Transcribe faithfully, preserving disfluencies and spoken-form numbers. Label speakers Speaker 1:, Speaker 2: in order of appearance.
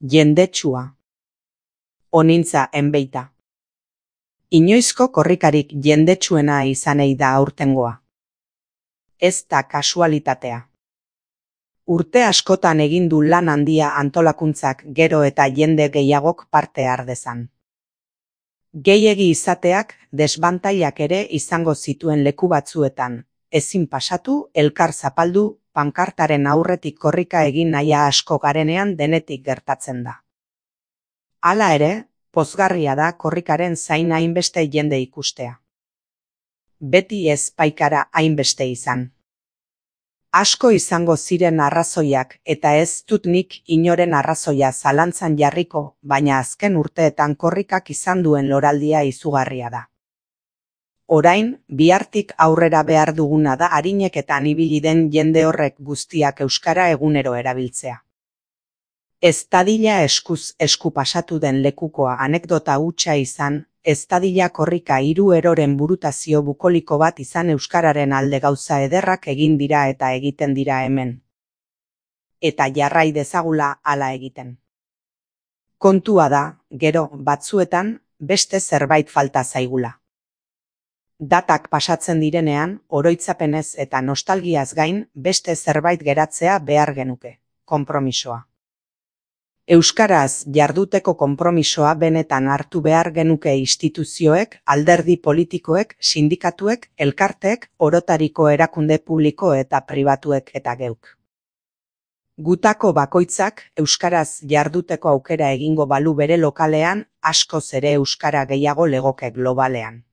Speaker 1: Jendetsua. Onintza enbeita. Inoizko korrikarik jendetsuena izanei da aurtengoa. Ez da kasualitatea. Urte askotan egin du lan handia antolakuntzak gero eta jende gehiagok parte har dezan. Gehiegi izateak desbantailak ere izango zituen leku batzuetan, ezin pasatu, elkar zapaldu, pankartaren aurretik korrika egin nahia asko garenean denetik gertatzen da. Hala ere, pozgarria da korrikaren zain hainbeste jende ikustea. Beti ez baikara hainbeste izan. Asko izango ziren arrazoiak eta ez dut nik inoren arrazoia zalantzan jarriko, baina azken urteetan korrikak izan duen loraldia izugarria da. Orain, bihartik aurrera behar duguna da arineketan ibili den jende horrek guztiak euskara egunero erabiltzea. Ez dadila eskuz esku pasatu den lekukoa anekdota hutsa izan, ez dadila korrika hiru eroren burutazio bukoliko bat izan euskararen alde gauza ederrak egin dira eta egiten dira hemen. Eta jarrai dezagula hala egiten. Kontua da, gero, batzuetan, beste zerbait falta zaigula. Datak pasatzen direnean, oroitzapenez eta nostalgiaz gain, beste zerbait geratzea behar genuke, konpromisoa. Euskaraz jarduteko konpromisoa benetan hartu behar genuke instituzioek, alderdi politikoek, sindikatuek, elkarteek, orotariko erakunde publiko eta pribatuek eta geuk. Gutako bakoitzak euskaraz jarduteko aukera egingo balu bere lokalean, askoz ere euskara gehiago legoke globalean.